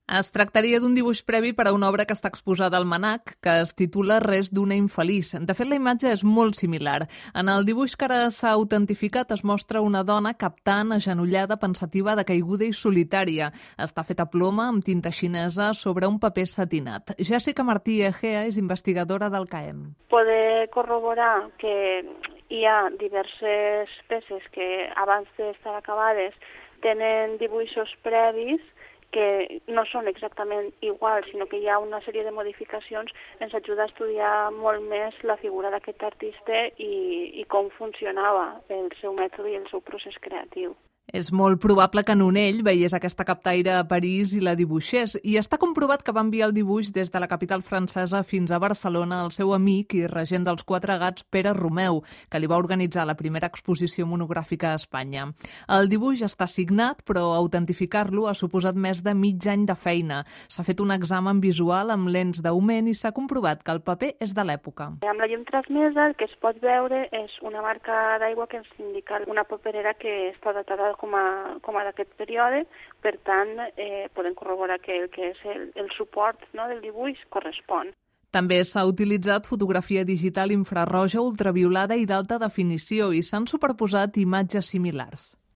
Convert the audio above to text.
Es tractaria d'un dibuix previ per a una obra que està exposada al MNAC, que es titula Res d'una infeliç. De fet, la imatge és molt similar. En el dibuix que ara s'ha autentificat es mostra una dona captant, agenollada, pensativa, decaiguda i solitària. Està feta a ploma, amb tinta xinesa, sobre un paper satinat. Jessica Martí Egea és investigadora del CAEM. Poder corroborar que hi ha diverses peces que abans d'estar acabades tenen dibuixos previs que no són exactament iguals, sinó que hi ha una sèrie de modificacions, ens ajuda a estudiar molt més la figura d'aquest artista i com funcionava el seu mètode i el seu procés creatiu. És molt probable que Nonell veiés aquesta captaire a París i la dibuixés, i està comprovat que va enviar el dibuix des de la capital francesa fins a Barcelona al seu amic i regent dels Quatre Gats, Pere Romeu, que li va organitzar la primera exposició monogràfica a Espanya. El dibuix està signat, però autentificar-lo ha suposat més de mig any de feina. S'ha fet un examen visual amb lents d'augment i s'ha comprovat que el paper és de l'època. Amb la llum transmesa el que es pot veure és una marca d'aigua que ens indica una paperera que està datada com a d'aquest període, per tant, podem corroborar que el que és el suport, no, del dibuix correspon. També s'ha utilitzat fotografia digital infraroja, ultraviolada i d'alta definició i s'han superposat imatges similars.